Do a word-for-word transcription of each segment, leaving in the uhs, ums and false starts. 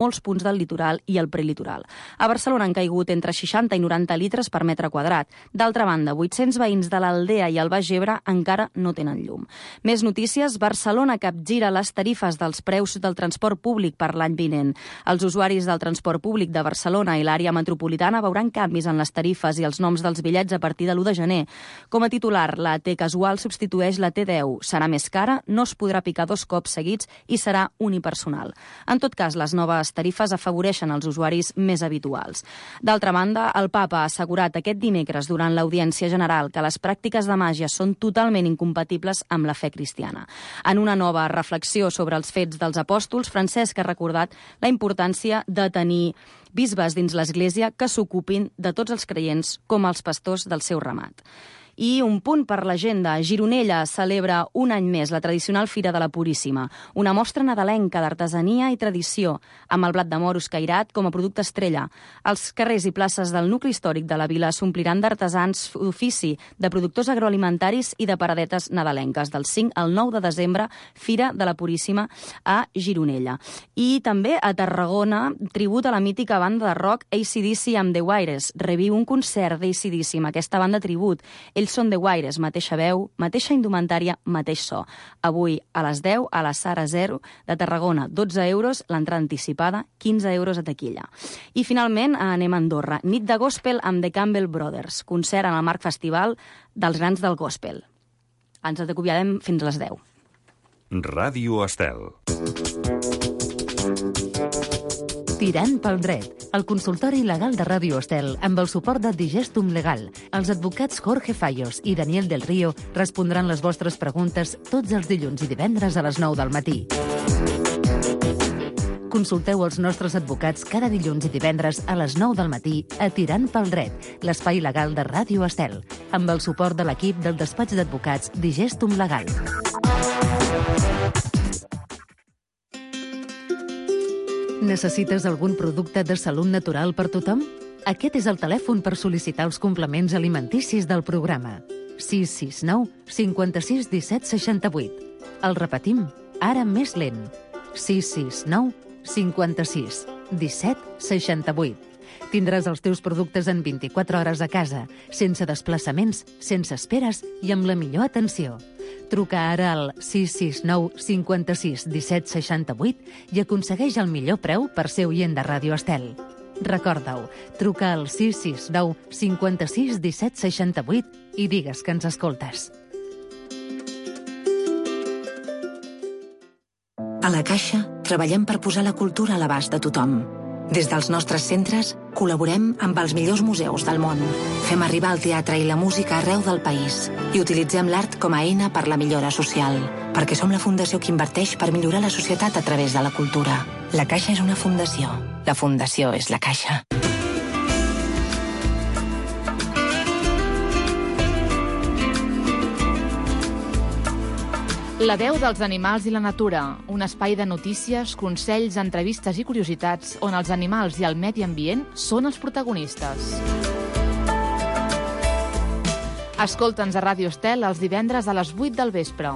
molts punts del litoral i el prelitoral. A Barcelona han caigut entre seixanta i noranta litres per metre quadrat. D'altra banda, vuit-cents veïns de l'Aldea i el Baix Ebre encara no tenen llum. Més notícies, Barcelona capgira les tarifes dels preus del transport públic per l'any vinent. Els usuaris del transport públic de Barcelona i l'àrea metropolitana veuran canvis en les tarifes i els noms dels bitllets a partir de l'u de gener. Com a titular, la T casual substitueix la T deu. Serà més cara, no es podrà picar dos cops seguits i serà unipersonal. En tot cas, les noves tarifes afavoreixen els usuaris més habituals. D'altra banda, el Papa ha assegurat aquest dimecres durant l'audiència general que les pràctiques de màgia són totalment incompatibles amb la fe cristiana. En una nova reflexió sobre els fets dels apòstols, Francesc ha recordat la importància de tenir bisbes dins l'Església que s'ocupin de tots els creients com els pastors del seu ramat. I un punt per l'agenda. Gironella celebra un any més la tradicional Fira de la Puríssima, una mostra nadalenca d'artesania i tradició, amb el blat de moro escairat com a producte estrella. Els carrers i places del nucli històric de la vila s'ompliran d'artesans d'ofici, de productors agroalimentaris i de paradetes nadalenques. Del cinc al nou de desembre, Fira de la Puríssima a Gironella. I també a Tarragona, tribut a la mítica banda de rock A C D C amb The Wailers. Reviu un concert d'A C D C amb aquesta banda tribut. Ells són The Wailers, mateixa veu, mateixa indumentària, mateix so. Avui a les deu a la Sara Zero de Tarragona, dotze euros, l'entrada anticipada, quinze euros a taquilla. I finalment anem a Andorra. Nit de gospel amb The Campbell Brothers, concert en el marc festival dels grans del gospel. Ens acomiadem fins a les deu. Ràdio Estel. Tirant pel dret, el consultori legal de Ràdio Estel amb el suport de Digestum Legal. Els advocats Jorge Fallos i Daniel del Río respondran les vostres preguntes tots els dilluns i divendres a les nou del matí. Consulteu els nostres advocats cada dilluns i divendres a les nou del matí a Tirant pel dret, l'espai legal de Ràdio Estel, amb el suport de l'equip del despatx d'advocats Digestum Legal. Necessites algun producte de salut natural per tothom? Aquest és el telèfon per sol·licitar els complements alimenticis del programa. sis sis nou, cinquanta-sis, disset, seixanta-vuit. El repetim, ara més lent. sis sis nou, cinquanta-sis, disset, seixanta-vuit. Tindràs els teus productes en vint-i-quatre hores a casa, sense desplaçaments, sense esperes i amb la millor atenció. Truca ara al sis sis nou, cinquanta-sis, disset, seixanta-vuit i aconsegueix el millor preu per ser oient de Ràdio Estel. Recorda-ho, truca al sis sis nou, cinquanta-sis, disset, seixanta-vuit i digues que ens escoltes. A la Caixa treballem per posar la cultura a l'abast de tothom. Des dels nostres centres, col·laborem amb els millors museus del món. Fem arribar el teatre i la música arreu del país i utilitzem l'art com a eina per la millora social, perquè som la fundació que inverteix per millorar la societat a través de la cultura. La Caixa és una fundació. La fundació és la Caixa. La veu dels animals i la natura, un espai de notícies, consells, entrevistes i curiositats on els animals i el medi ambient són els protagonistes. Escolta'ns a Ràdio Estel els divendres a les vuit del vespre.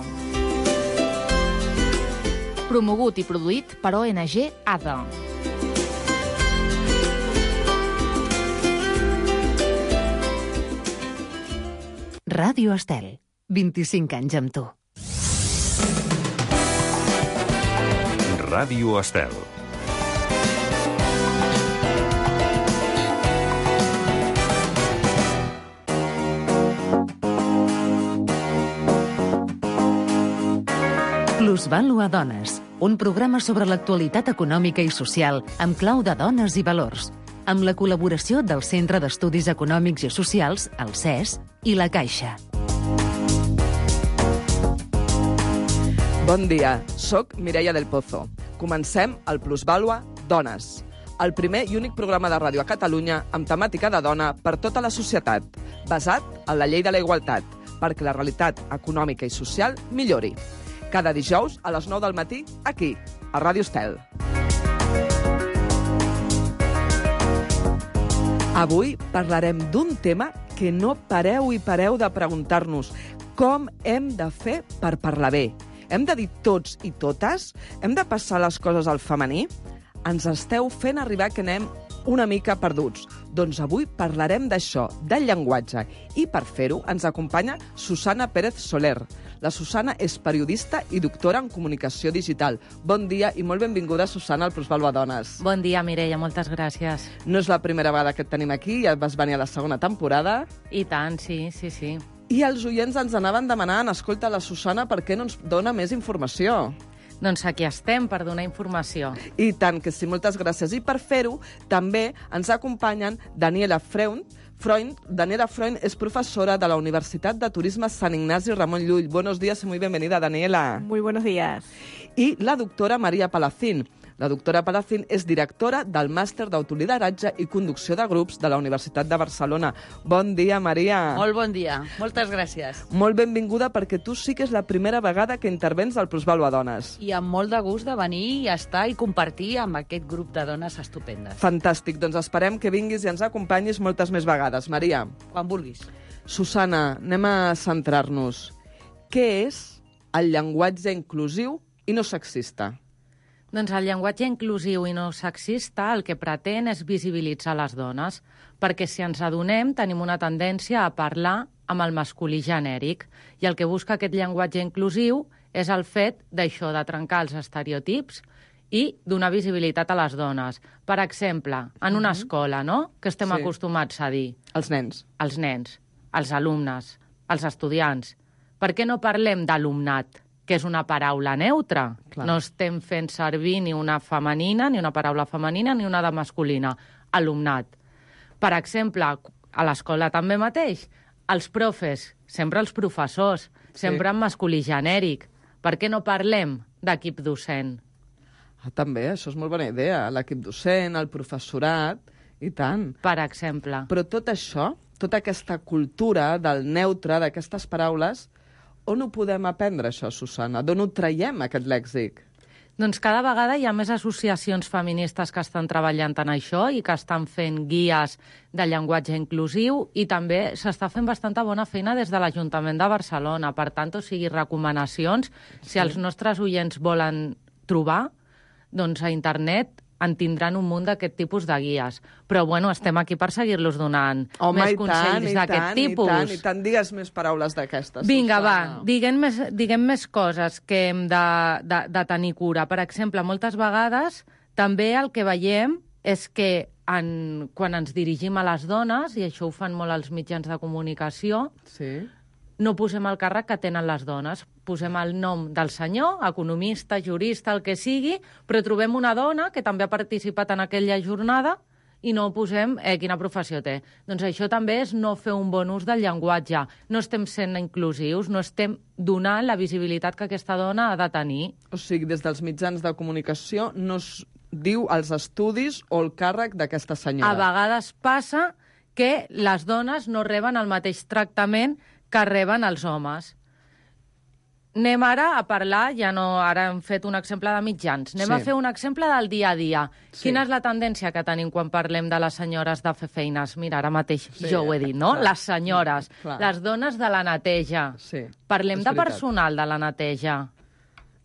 Promogut i produït per O N G A D A. Ràdio Estel, vint-i-cinc anys amb tu. Ràdio Estel. Plusvàlua Dones, un programa sobre l'actualitat econòmica i social amb clau de dones i valors, amb la col·laboració del Centre d'Estudis Econòmics i Socials, el C E S, i la Caixa. Bon dia, soc Mireia del Pozo. Comencem el Plusvàlua Dones, el primer i únic programa de ràdio a Catalunya amb temàtica de dona per tota la societat, basat en la llei de la igualtat, perquè la realitat econòmica i social millori. Cada dijous a les nou del matí, aquí, a Ràdio Estel. Avui parlarem d'un tema que no pareu i pareu de preguntar-nos: com hem de fer per parlar bé? Hem de dir tots i totes? Hem de passar les coses al femení? ens esteu fent arribar que anem una mica perduts. Doncs avui parlarem d'això, del llenguatge. I per fer-ho ens acompanya Susana Pérez Soler. La Susana és periodista i doctora en comunicació digital. Bon dia i molt benvinguda, Susana, al Plusvalua Dones. Bon dia, Mireia, moltes gràcies. No és la primera vegada que et tenim aquí, ja vas venir a la segona temporada. I tant, sí, sí, sí. I els oients ens anaven demanant, escolta, la Susana, per què no ens dona més informació? Doncs aquí estem per donar informació. I tant que sí, moltes gràcies. I per fer-ho, també ens acompanyen Daniela Freund. Freund. Daniela Freund és professora de la Universitat de Turisme Sant Ignasi Ramon Llull. Buenos días y muy bienvenida, Daniela. Muy buenos días. I la doctora Maria Palacín. La doctora Palacín és directora del Màster d'Autolideratge i Conducció de Grups de la Universitat de Barcelona. Bon dia, Maria. Molt bon dia. Moltes gràcies. Molt benvinguda, perquè tu sí que és la primera vegada que intervens al Plusvalua Dones. I amb molt de gust de venir i estar i compartir amb aquest grup de dones estupendes. Fantàstic. Doncs esperem que vinguis i ens acompanyis moltes més vegades. Maria. Quan vulguis. Susana, anem a centrar-nos. Què és el llenguatge inclusiu i no sexista? Doncs el llenguatge inclusiu i no sexista el que pretén és visibilitzar les dones, perquè si ens adonem tenim una tendència a parlar amb el masculí genèric, i el que busca aquest llenguatge inclusiu és el fet d'això, de trencar els estereotips i donar visibilitat a les dones. Per exemple, en una escola, no?, que estem Sí. acostumats a dir. Els nens. Els nens, els alumnes, els estudiants. Per què no parlem d'alumnat, que és una paraula neutra? Clar. No estem fent servir ni una femenina, ni una paraula femenina, ni una de masculina. Alumnat. Per exemple, a l'escola també mateix, els profes, sempre els professors, sempre en masculí genèric. Per què no parlem d'equip docent? Ah, també, això és molt bona idea. L'equip docent, el professorat, i tant. Per exemple. Però tot això, tota aquesta cultura del neutre, d'aquestes paraules, on ho podem aprendre, això, Susana? D'on ho traiem, aquest lèxic? Doncs cada vegada hi ha més associacions feministes que estan treballant en això i que estan fent guies de llenguatge inclusiu, i també s'està fent bastanta bona feina des de l'Ajuntament de Barcelona. Per tant, o sigui, recomanacions, si els nostres oients volen trobar, doncs a internet en tindran un munt d'aquest tipus de guies. Però, bueno, estem aquí per seguir-los donant Home, més i consells tant, i d'aquest tant, tipus. I tant, i tant, digues més paraules d'aquestes. Vinga, Susana. va, diguem més, diguem més coses que hem de, de, de tenir cura. Per exemple, moltes vegades també el que veiem és que en, quan ens dirigim a les dones, i això ho fan molt els mitjans de comunicació, Sí. no posem el càrrec que tenen les dones. Posem el nom del senyor, economista, jurista, el que sigui, però trobem una dona que també ha participat en aquella jornada i no posem eh, quina professió té. Doncs això també és no fer un bon ús del llenguatge. No estem sent inclusius, no estem donant la visibilitat que aquesta dona ha de tenir. O sigui, des dels mitjans de comunicació no es diu els estudis o el càrrec d'aquesta senyora. A vegades passa que les dones no reben el mateix tractament que reben els homes. Anem ara a parlar, ja no, ara hem fet un exemple de mitjans, anem Sí. a fer un exemple del dia a dia. Sí. Quina és la tendència que tenim quan parlem de les senyores de fer feines? Mira, ara mateix Sí, jo ho he dit, no? clar. Les senyores, Clar. les dones de la neteja. Sí, Parlem és de veritat. personal de la neteja.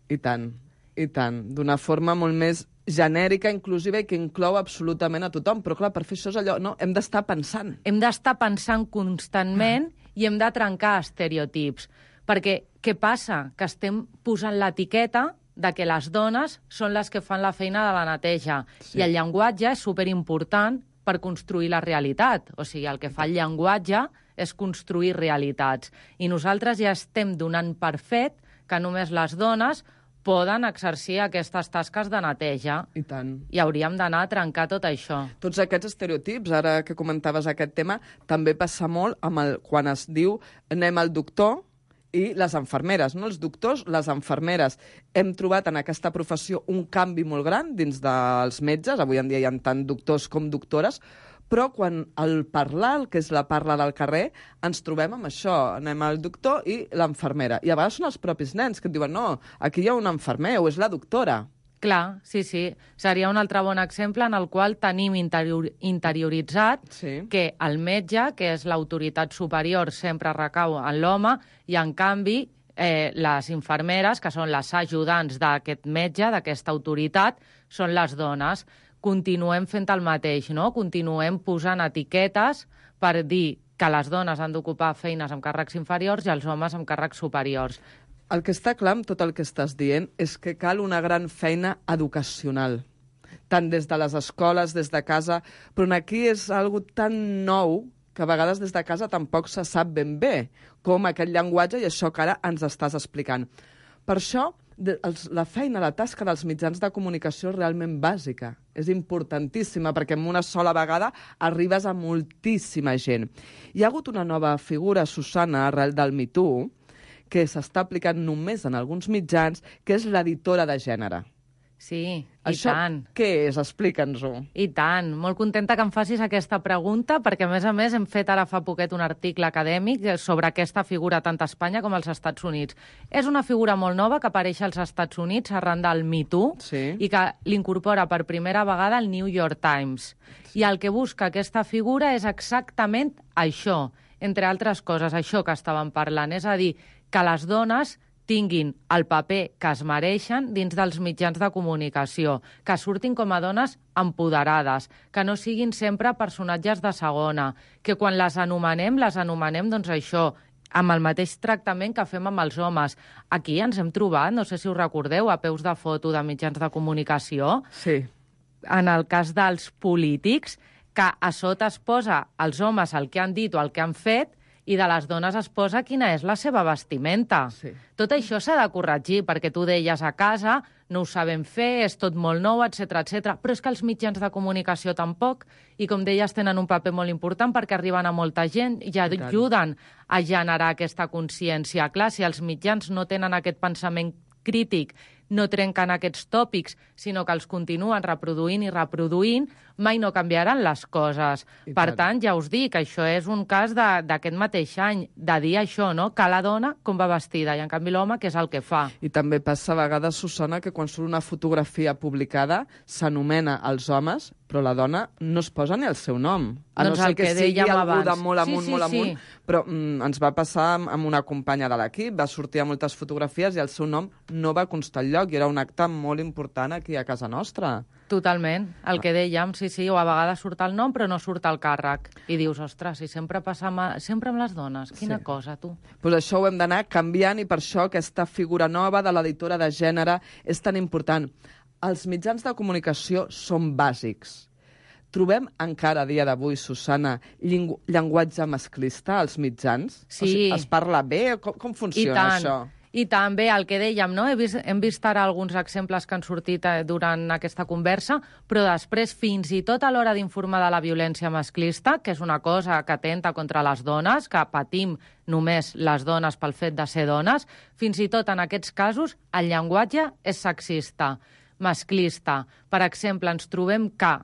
I tant, i tant. D'una forma molt més genèrica, inclusiva i que inclou absolutament a tothom. Però, clar, per fer això és allò, no? Hem d'estar pensant. Hem d'estar pensant constantment i hem de trencar estereotips. Perquè què passa? Que estem posant l'etiqueta de que les dones són les que fan la feina de la neteja. Sí. I el llenguatge és superimportant per construir la realitat. O sigui, el que fa el llenguatge és construir realitats. I nosaltres ja estem donant per fet que només les dones poden exercir aquestes tasques de neteja. I tant. I hauríem d'anar a trencar tot això. Tots aquests estereotips, ara que comentaves aquest tema, també passa molt amb el, quan es diu anem al doctor i les infermeres, no? Els doctors, les infermeres. Hem trobat en aquesta professió un canvi molt gran dins dels metges, avui en dia hi ha tant doctors com doctores, però quan el parlar, el que és la parla del carrer, ens trobem amb això, anem al doctor i l'infermera. I a vegades són els propis nens que et diuen no, aquí hi ha un infermer o és la doctora. Clar, sí, sí. Seria un altre bon exemple en el qual tenim interior, interioritzat Sí. que el metge, que és l'autoritat superior, sempre recau en l'home, i en canvi eh, les infermeres, que són les ajudants d'aquest metge, d'aquesta autoritat, són les dones. Continuem fent el mateix, no? Continuem posant etiquetes per dir que les dones han d'ocupar feines amb càrrecs inferiors i els homes amb càrrecs superiors. El que està clar amb tot el que estàs dient és que cal una gran feina educacional, tant des de les escoles, des de casa, però aquí és algo tan nou que a vegades des de casa tampoc se sap ben bé com aquest llenguatge i això que ara ens estàs explicant. Per això, la feina, la tasca dels mitjans de comunicació és realment bàsica. És importantíssima perquè en una sola vegada arribes a moltíssima gent. Hi ha hagut una nova figura, Susana, arrel del Me Too, que s'està aplicant només en alguns mitjans, que és l'editora de gènere. Sí, Això, i tant. Què és? Explica'ns-ho. I tant. Molt contenta que em facis aquesta pregunta, perquè, a més a més, hem fet ara fa poquet un article acadèmic sobre aquesta figura tant a Espanya com als Estats Units. És una figura molt nova que apareix als Estats Units arran del Me Too sí. i que l'incorpora per primera vegada el New York Times. Sí. I el que busca aquesta figura és exactament això, entre altres coses, això que estàvem parlant, és a dir, que les dones tinguin el paper que es mereixen dins dels mitjans de comunicació, que surtin com a dones empoderades, que no siguin sempre personatges de segona, que quan les anomenem, les anomenem, doncs això, amb el mateix tractament que fem amb els homes. Aquí ens hem trobat, no sé si us recordeu, a peus de foto de mitjans de comunicació, sí. En el cas dels polítics, que a sota es posa els homes el que han dit o el que han fet, i de les dones es posa quina és la seva vestimenta. Sí. Tot això s'ha de corregir, perquè tu deies a casa, no ho sabem fer, és tot molt nou, etcètera, etcètera. Però és que els mitjans de comunicació tampoc, i com deies, tenen un paper molt important perquè arriben a molta gent i ajuden a generar aquesta consciència. Clar, si els mitjans no tenen aquest pensament crític, no trenquen aquests tòpics, sinó que els continuen reproduint i reproduint, mai no canviaran les coses. I per tant. tant, ja us dic, això és un cas d'aquest mateix any, de dir això, no? Que la dona com va vestida, i en canvi l'home què és el que fa. I també passa a vegades, Susana, que quan surt una fotografia publicada s'anomena els homes, però la dona no es posa ni el seu nom. A Doncs no ser el que, que sigui dèiem algú abans. de molt amunt, Sí, sí, molt sí. amunt, però mm, ens va passar amb, amb una companya de l'equip, va sortir a moltes fotografies i el seu nom no va constar enlloc, i era un acte molt important aquí a casa nostra. Totalment, el que dèiem, sí, sí, o a vegades surt el nom però no surt el càrrec. I dius, ostres, si sempre passa amb, sempre amb les dones, quina Sí. cosa, tu. Pues això ho hem d'anar canviant i per això aquesta figura nova de l'editora de gènere és tan important. Els mitjans de comunicació són bàsics. Trobem encara a dia d'avui, Susana, llengu llenguatge masclista als mitjans? Sí. O sigui, es parla bé? Com, com funciona I tant. això? I també el que dèiem, no? He vist, hem vist ara alguns exemples que han sortit eh, durant aquesta conversa, però després, fins i tot a l'hora d'informar de la violència masclista, que és una cosa que atenta contra les dones, que patim només les dones pel fet de ser dones, fins i tot en aquests casos el llenguatge és sexista, masclista. Per exemple, ens trobem que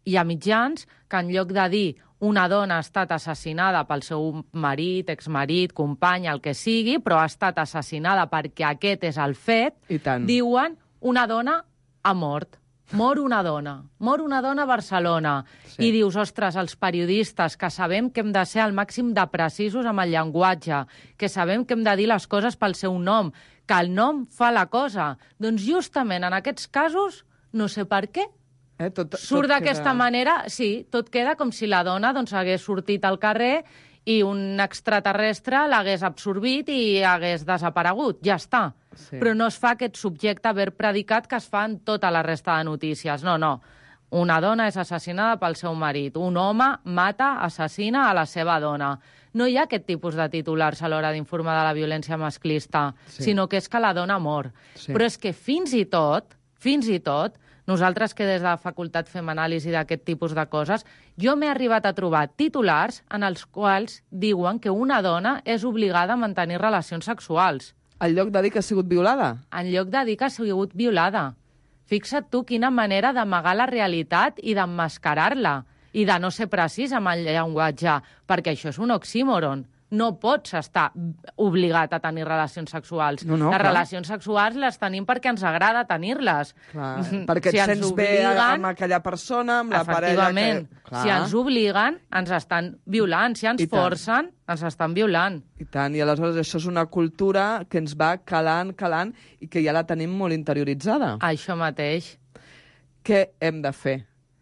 hi ha mitjans que en lloc de dir una dona ha estat assassinada pel seu marit, exmarit, company, el que sigui, però ha estat assassinada perquè aquest és el fet, I tant. diuen una dona ha mort. Mor una dona. Mor una dona a Barcelona. Sí. I dius, ostres, els periodistes, que sabem que hem de ser al màxim de precisos amb el llenguatge, que sabem que hem de dir les coses pel seu nom, que el nom fa la cosa. Doncs justament en aquests casos, no sé per què, Eh, tot, surt tot d'aquesta queda... manera, sí, tot queda com si la dona doncs, hagués sortit al carrer i un extraterrestre l'hagués absorbit i hagués desaparegut. Ja està. Sí. Però no es fa aquest subjecte ver predicat que es fa en tota la resta de notícies. No, no. Una dona és assassinada pel seu marit. Un home mata, assassina a la seva dona. No hi ha aquest tipus de titulars a l'hora d'informar de la violència masclista, Sí. sinó que és que la dona mor. Sí. Però és que fins i tot, fins i tot, nosaltres que des de la facultat fem anàlisi d'aquest tipus de coses, jo m'he arribat a trobar titulars en els quals diuen que una dona és obligada a mantenir relacions sexuals, En lloc de dir que ha sigut violada? en lloc de dir que ha sigut violada. Fixa't tu quina manera d'amagar la realitat i d'emmascarar-la, i de no ser precís amb el llenguatge, perquè això és un oxímoron. No pots estar obligat a tenir relacions sexuals. No, no, les clar. relacions sexuals les tenim perquè ens agrada tenir-les. Clar, perquè et Si ens sents bé obliguen- amb aquella persona, amb la parella... Efectivament. Que... Clar. Si ens obliguen, ens estan violant. Si ens I tant. forcen, ens estan violant. I tant, i aleshores això és una cultura que ens va calant, calant, i que ja la tenim molt interioritzada. Això mateix. què hem de fer?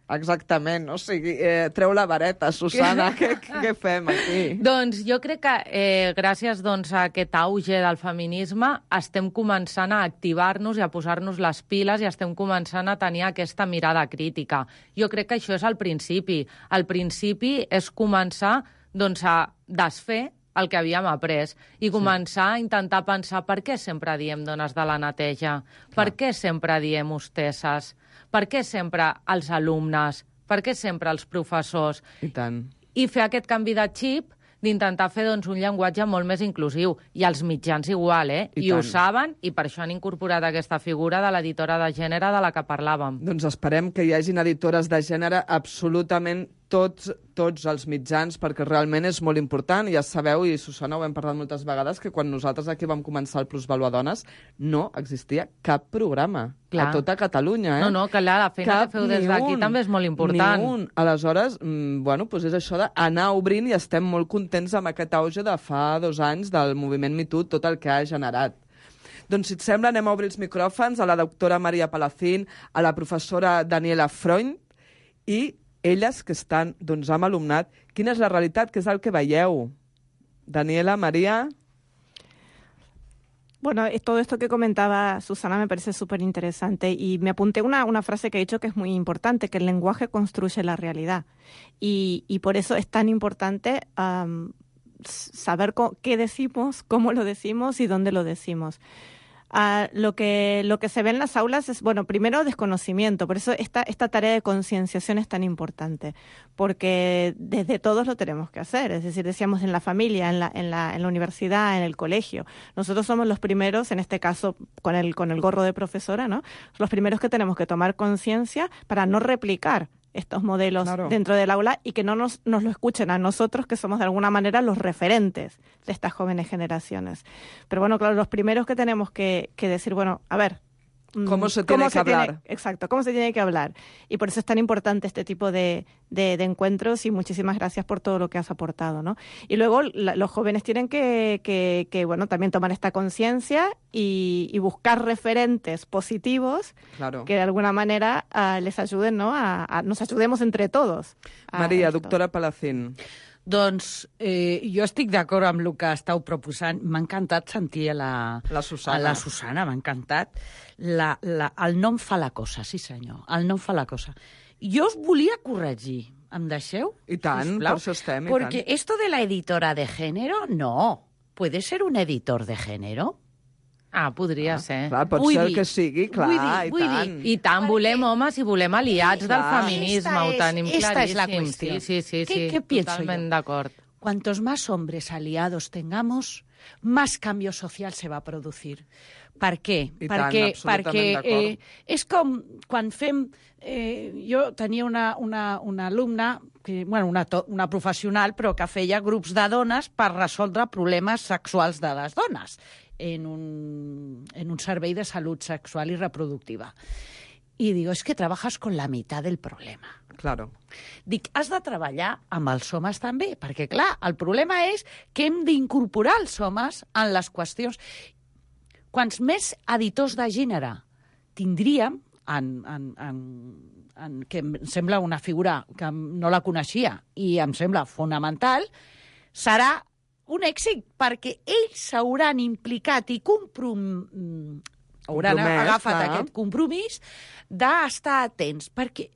Exactament, o sigui, eh, treu la vareta, Susana, què, què fem aquí? Doncs jo crec que eh, gràcies doncs, a aquest auge del feminisme estem començant a activar-nos i a posar-nos les piles i estem començant a tenir aquesta mirada crítica. Jo crec que això és el principi. El principi és començar doncs, a desfer el que havíem après i començar sí. a intentar pensar per què sempre diem dones de la neteja, Clar. per què sempre diem hostesses, per què sempre els alumnes, per què sempre els professors. I tant. I fer aquest canvi de xip d'intentar fer doncs, un llenguatge molt més inclusiu. I els mitjans igual, eh? I, I ho saben, i per això han incorporat aquesta figura de l'editora de gènere de la que parlàvem. Doncs esperem que hi hagin editores de gènere absolutament tots, tots els mitjans, perquè realment és molt important. Ja sabeu, i Susana, ho hem parlat moltes vegades, que quan nosaltres aquí vam començar el Plusvalua Dones no existia cap programa Clar. a tota Catalunya. Eh? No, no, que la, la feina cap, que feu des d'aquí també és molt important. Ni un. Aleshores, mm, bueno, doncs és això d'anar obrint i estem molt contents amb aquest auge de fa dos anys del moviment Me Too, tot el que ha generat. Doncs, si et sembla, anem a obrir els micròfons a la doctora Maria Palacín, a la professora Daniela Freund, i elles que estan doncs, amb alumnat. Quina és la realitat? Què és el que veieu? Daniela, María. Bueno, todo esto que comentaba Susana me parece súper interesante y me apunté una, una frase que ha dicho que es muy importante, que el lenguaje construye la realidad. Y, y por eso es tan importante um, saber qué decimos, cómo lo decimos y dónde lo decimos. Uh, lo que lo que se ve en las aulas es, bueno, primero desconocimiento, por eso esta, esta tarea de concienciación es tan importante, porque desde todos lo tenemos que hacer, es decir, decíamos en la familia, en la, en la, en la universidad, en el colegio. Nosotros somos los primeros, en este caso con el, con el gorro de profesora, ¿no? Los primeros que tenemos que tomar conciencia para no replicar estos modelos claro. dentro del aula y que no nos, nos lo escuchen a nosotros, que somos de alguna manera los referentes de estas jóvenes generaciones. Pero bueno, claro, los primeros que tenemos que, que decir, bueno, a ver... ¿Cómo se tiene ¿cómo que se hablar? Tiene, exacto, ¿cómo se tiene que hablar? Y por eso es tan importante este tipo de, de, de encuentros y muchísimas gracias por todo lo que has aportado, ¿no? Y luego la, los jóvenes tienen que, que, que, bueno, también tomar esta conciencia y, y buscar referentes positivos claro. que de alguna manera uh, les ayuden, ¿no? A, a, nos ayudemos entre todos. Maria, doctora Palacín. Doncs eh, jo estic d'acord amb el que estàu proposant. M'ha encantat sentir a la, la Susana. A la Susana, m'ha encantat. La, la, el nom fa la cosa, sí senyor, el nom fa la cosa. Jo us volia corregir, em deixeu? I tant, sisplau? per això estem, i Porque tant. esto de la editora de género, no. ¿Puede ser un editor de género? Ah, podria ah, ser. Clar, pot vull ser dir, que sigui, clar, vull dir, i vull tant. dir, I tant, volem homes i volem aliats clar. del feminisme, Esta ho es- tenim esta claríssim. es la cuestión. Sí, sí, sí, ¿Qué- sí, qué pienso totalment yo? d'acord. Cuantos más hombres aliados tengamos, más cambio social se va a producir. Per què? I tant, perquè absolutament perquè d'acord. eh, és com quan fem... Eh, jo tenia una, una, una alumna, que, bueno, una, to, una professional, però que feia grups de dones per resoldre problemes sexuals de les dones en un, en un servei de salut sexual i reproductiva. I digo, es que trabajas con la mitad del problema. Claro. Dic, has de treballar amb els homes també, perquè, clar, el problema és que hem d'incorporar els homes en les qüestions. Quants més editors de gènere tindríem, en, en, en, en, que em sembla una figura que no la coneixia i em sembla fonamental, serà un èxit, perquè ells s'hauran implicat i comprom... hauran Compromès, agafat clar. aquest compromís d'estar atents, perquè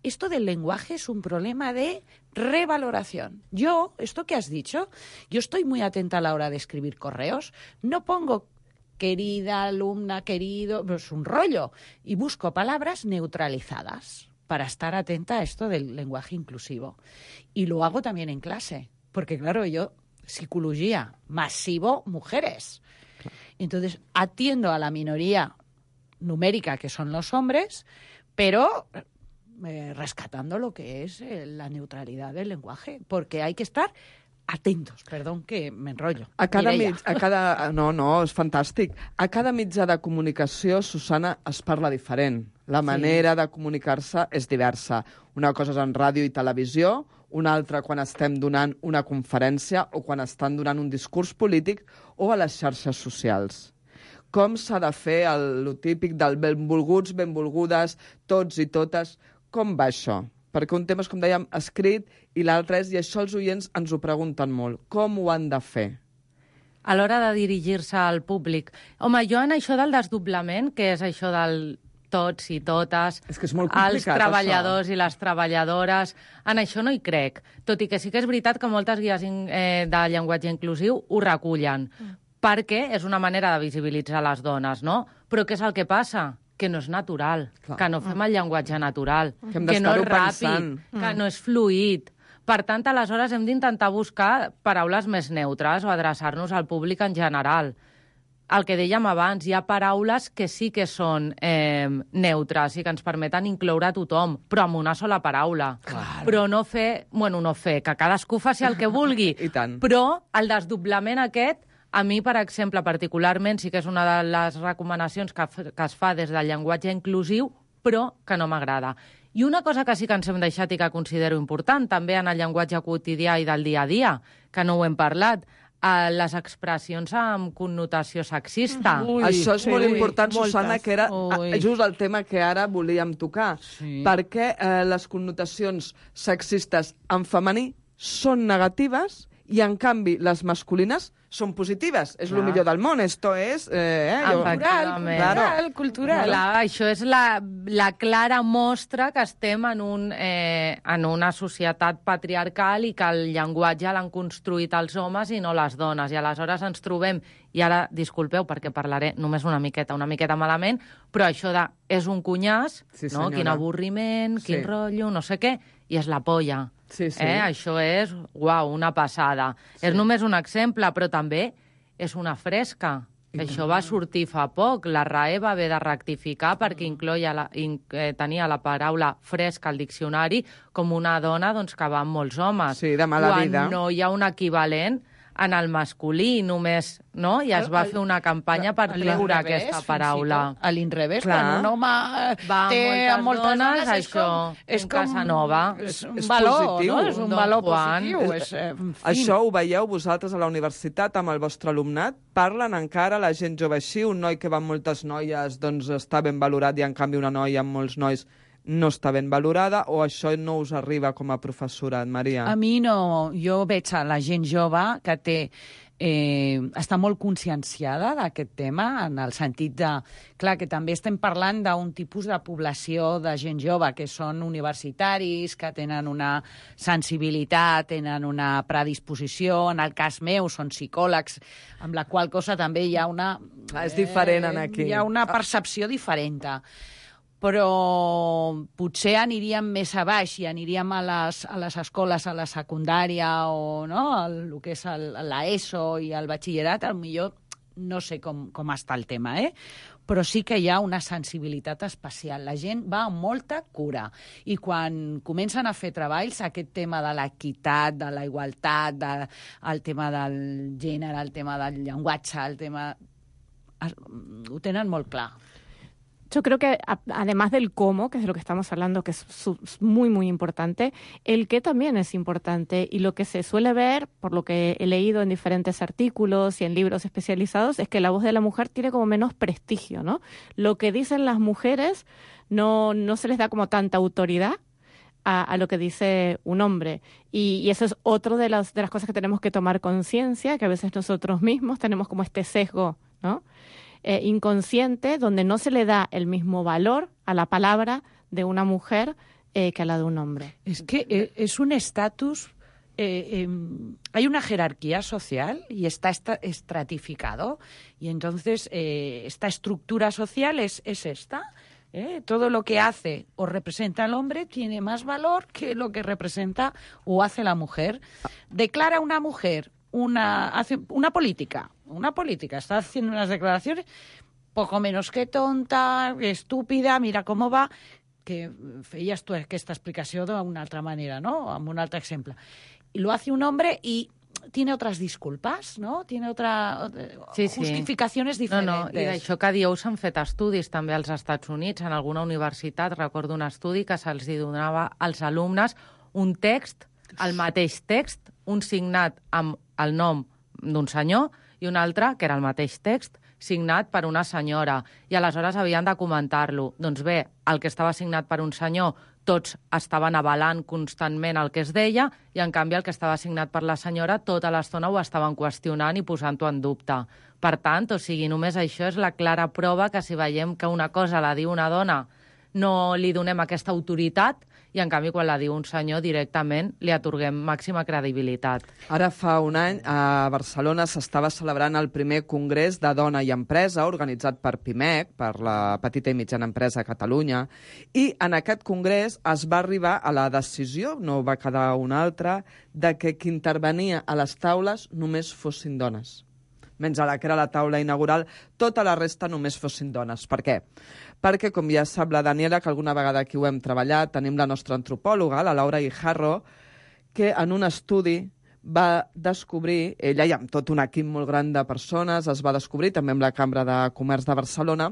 esto del lenguaje es un problema de revaloración. Yo, esto que has dicho, yo estoy muy atenta a la hora de escribir correos, no pongo querida alumna, querido, es un rollo, y busco palabras neutralizadas para estar atenta a esto del lenguaje inclusivo. Y lo hago también en clase, porque claro, yo, psicología, masivo, mujeres. Entonces, atiendo a la minoría numérica, que son los hombres, pero eh, rescatando lo que es eh, la neutralidad del lenguaje, porque hay que estar atentos. Perdón que m'enrotllo. A cada, Mireia. mig, a cada... No, no, és fantàstic. A cada mitjà de comunicació, Susana, es parla diferent. La manera sí. de comunicar-se és diversa. Una cosa és en ràdio i televisió, una altra quan estem donant una conferència o quan estan donant un discurs polític o a les xarxes socials. com s'ha de fer el, el típic del benvolguts, benvolgudes, tots i totes. Com va això? Perquè un tema és, com dèiem, escrit, i l'altre és, i això els oients ens ho pregunten molt, com ho han de fer? A l'hora de dirigir-se al públic. Home, jo en això del desdoblament, que és això del tots i totes, és que és molt complicat, els treballadors això. I les treballadores, en això no hi crec. Tot i que sí que és veritat que moltes guies eh, de llenguatge inclusiu ho recullen, mm. perquè és una manera de visibilitzar les dones, no? Però què és el que passa? Que no és natural, Clar. que no fem el llenguatge natural, que, que no és ràpid, pensant. que no és fluid. Per tant, aleshores hem d'intentar buscar paraules més neutres o adreçar-nos al públic en general. El que dèiem abans, hi ha paraules que sí que són eh, neutres i que ens permeten incloure a tothom, però amb una sola paraula. Clar. Però no fer... Bueno, no fer, que cadascú faci el que vulgui. I tant. Però el desdoblament aquest, a mi, per exemple, particularment, sí que és una de les recomanacions que, que es fa des del llenguatge inclusiu, però que no m'agrada. I una cosa que sí que ens hem deixat i que considero important, també en el llenguatge quotidià i del dia a dia, que no ho hem parlat, a les expressions amb connotació sexista. Ui, Això és sí, molt important, ui, Susana, moltes. que era Ui. just el tema que ara volíem tocar. Sí. Perquè eh, les connotacions sexistes en femení són negatives i, en canvi, les masculines són positives. És el millor del món. Esto és... Eh, eh, jo... Cultural, cultural, cultural. Clar, això és la, la clara mostra que estem en, un, eh, en una societat patriarcal i que el llenguatge l'han construït els homes i no les dones. I aleshores ens trobem, i ara, disculpeu, perquè parlaré només una miqueta, una miqueta malament, però això de és un cunyàs, sí, no? Quin avorriment, quin sí. rotllo, no sé què, i és la polla. Sí, sí. Eh? Això és, uau, una passada. Sí. És només un exemple, però també és una fresca. I això va sortir fa poc. La R A E va haver de rectificar perquè incloia la, in, eh, tenia la paraula fresca al diccionari com una dona doncs, que va amb molts homes. Sí, de mala quan vida. No hi ha un equivalent en el masculí, només, no? I es va fer una campanya per treure aquesta paraula. A l'inrevés, quan un home va té amb moltes moltes dones, dones, és això, com... És un com Casanova. És un És valor, positiu. no? És un Don valor Juan. positiu. És, És, eh, en fi. Això ho veieu vosaltres a la universitat amb el vostre alumnat? Parlen encara la gent jove així? Un noi que va amb moltes noies doncs està ben valorat i en canvi una noia amb molts nois no està ben valorada, o això no us arriba com a professorat, Maria? A mi no. Jo veig a la gent jove que té eh, està molt conscienciada d'aquest tema, en el sentit de... Clar, que també estem parlant d'un tipus de població de gent jove que són universitaris, que tenen una sensibilitat, tenen una predisposició, en el cas meu són psicòlegs, amb la qual cosa també hi ha una... Ah, és diferent en aquí. Hi ha una percepció diferent. Però potser aniríem més a baix i aniríem a les, a les escoles, a la secundària o no, el, el que és l'ESO i el batxillerat, potser no sé com, com està el tema, eh? Però sí que hi ha una sensibilitat especial. La gent va amb molta cura. I quan comencen a fer treballs, aquest tema de l'equitat, de la igualtat, de, el tema del gènere, el tema del llenguatge, el tema... ho tenen molt clar. Yo creo que además del cómo, que es de lo que estamos hablando, que es muy, muy importante, el qué también es importante. Y lo que se suele ver, por lo que he leído en diferentes artículos y en libros especializados, es que la voz de la mujer tiene como menos prestigio, ¿no? Lo que dicen las mujeres no, no se les da como tanta autoridad a, a lo que dice un hombre. Y, y eso es otro de las, de las cosas que tenemos que tomar conciencia, que a veces nosotros mismos tenemos como este sesgo, ¿no? Eh, inconsciente, donde no se le da el mismo valor a la palabra de una mujer eh, que a la de un hombre. Es que eh, es un estatus, eh, eh, hay una jerarquía social y está estratificado, y entonces eh, esta estructura social es, es esta. ¿eh? Todo lo que hace o representa el hombre tiene más valor que lo que representa o hace la mujer. Declara una mujer una, hace una política, una política, está haciendo unas declaraciones poco menos que tonta, estúpida, mira cómo va, que feies tu aquesta explicació d'una altra manera, no? Amb un altre exemple. Y lo hace un hombre y tiene otras disculpas, ¿no? Tiene otra sí, sí. justificaciones diferentes. No, no, i d'això que dieu s'han fet estudis també als Estats Units, en alguna universitat, recordo un estudi que se'ls donava als alumnes un text, el mateix text, un signat amb el nom d'un senyor i un altre, que era el mateix text, signat per una senyora i aleshores havien de comentar-lo. Doncs bé, el que estava signat per un senyor, tots estaven avalant constantment el que es deia i, en canvi, el que estava signat per la senyora tota l'estona ho estaven qüestionant i posant-ho en dubte. Per tant, o sigui, només això és la clara prova que si veiem que una cosa la diu una dona no li donem aquesta autoritat i, en canvi, quan la diu un senyor, directament li atorguem màxima credibilitat. Ara fa un any a Barcelona s'estava celebrant el primer Congrés de Dona i Empresa organitzat per PIMEC, per la Petita i Mitjana Empresa a Catalunya, i en aquest congrés es va arribar a la decisió, no va quedar una altra, de que qui intervenia a les taules només fossin dones. Menys a la que era la taula inaugural, tota la resta només fossin dones. Per què? Perquè, com ja sap la Daniela, que alguna vegada aquí ho hem treballat, tenim la nostra antropòloga, la Laura Guijarro, que en un estudi va descobrir, ella i amb tot un equip molt gran de persones, es va descobrir, també amb la Cambra de Comerç de Barcelona,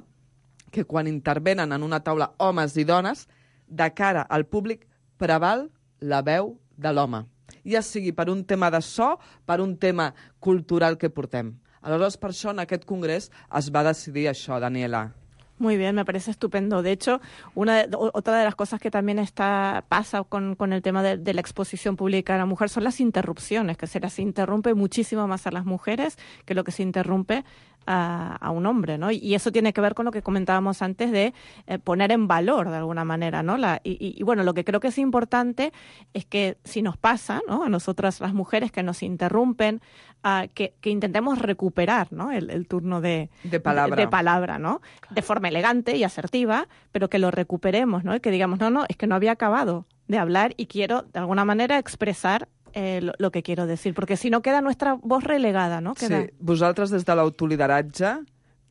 que quan intervenen en una taula homes i dones, de cara al públic preval la veu de l'home. Ja sigui per un tema de so, per un tema cultural que portem. Aleshores, per això, en aquest congrés es va decidir això, Daniela. Muy bien, me parece estupendo. De hecho, una de, otra de las cosas que también está pasa con, con el tema de, de la exposición pública a la mujer son las interrupciones, que se las interrumpe muchísimo más a las mujeres que lo que se interrumpe a, a un hombre, ¿no? Y eso tiene que ver con lo que comentábamos antes de eh, poner en valor de alguna manera, ¿no? La, y, y, y bueno, lo que creo que es importante es que si nos pasa, ¿no? A nosotras las mujeres que nos interrumpen, uh, que, que intentemos recuperar, ¿no? El, el turno de, de palabra, de, de palabra, ¿no? De forma elegante y asertiva, pero que lo recuperemos, ¿no? Y que digamos, no, no, es que no había acabado de hablar y quiero de alguna manera expresar Eh, lo, lo que quiero decir, porque si no queda nuestra voz relegada, ¿no? Queda... Sí, vosaltres des de l'autolideratge,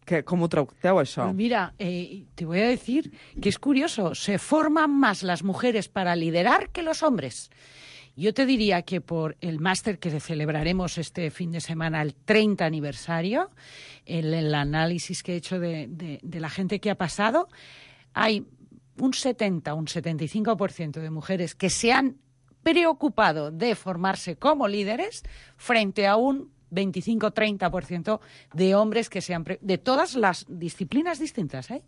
que, com ho tracteu, això? Pues mira, eh, te voy a decir que es curioso, se forman más las mujeres para liderar que los hombres. Yo te diría que por el máster que celebraremos este fin de semana, el treinta aniversario, el, el análisis que he hecho de, de, de la gente que ha pasado, hay un setenta, un setenta y cinco por ciento de mujeres que se han preocupado de formarse como líderes frente a un veinticinco a treinta por ciento de hombres que se han... Pre... de todas las disciplinas distintas, eh?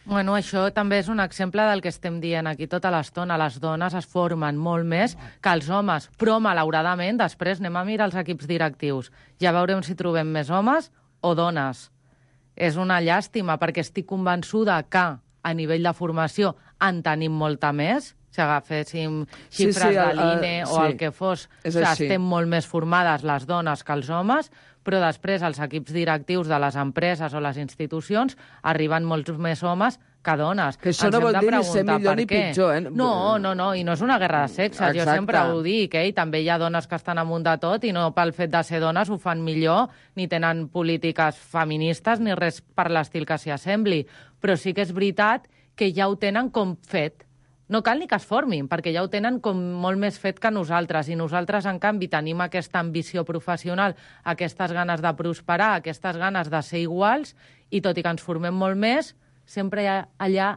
Bueno, això també és un exemple del que estem dient aquí tota l'estona. Les dones es formen molt més que els homes, però malauradament després anem a mirar els equips directius. Ja veurem si trobem més homes o dones. És una llàstima perquè estic convençuda que a nivell de formació en tenim molta més. Si agaféssim xifres sí, sí, de l'I N E uh, o sí, el que fos, o sigui, així. Estem molt més formades les dones que els homes, però després els equips directius de les empreses o les institucions arriben molts més homes que dones. Que això Ens no vol hem de dir ni ser preguntar millor per ni què. pitjor, eh? No, no, no, i no és una guerra de sexes. Exacte. Jo sempre ho dic, eh? I també hi ha dones que estan amunt de tot i no pel fet de ser dones ho fan millor, ni tenen polítiques feministes ni res per l'estil que s'hi assembli. Però sí que és veritat que ja ho tenen com fet. No cal ni que es formin, perquè ja ho tenen com molt més fet que nosaltres, i nosaltres, en canvi, tenim aquesta ambició professional, aquestes ganes de prosperar, aquestes ganes de ser iguals, i tot i que ens formem molt més, sempre hi ha allà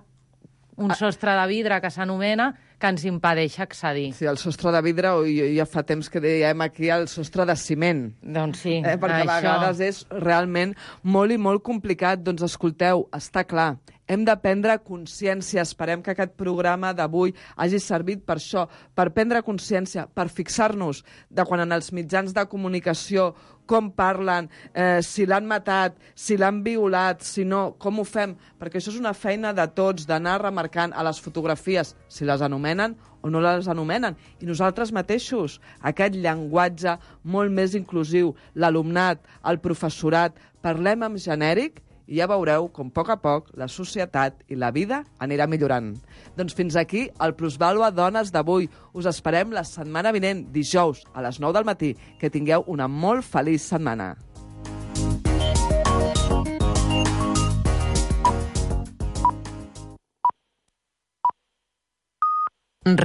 un sostre de vidre que s'anomena que ens impedeix accedir. Sí, el sostre de vidre, o ja fa temps que dèiem aquí el sostre de ciment. Doncs sí, eh, perquè això... a vegades és realment molt i molt complicat. Doncs escolteu, està clar, hem de prendre consciència. Esperem que aquest programa d'avui hagi servit per això, per prendre consciència, per fixar-nos de quan en els mitjans de comunicació com parlen, eh, si l'han matat, si l'han violat, si no, com ho fem, perquè això és una feina de tots, d'anar remarcant a les fotografies si les anomenen o no les anomenen. I nosaltres mateixos, aquest llenguatge molt més inclusiu, l'alumnat, el professorat, parlem en genèric i ja veureu com a poc a poc la societat i la vida anirà millorant. Doncs fins aquí el Plusvàlua Dones d'avui. Us esperem la setmana vinent, dijous, a les nou del matí. Que tingueu una molt feliç setmana.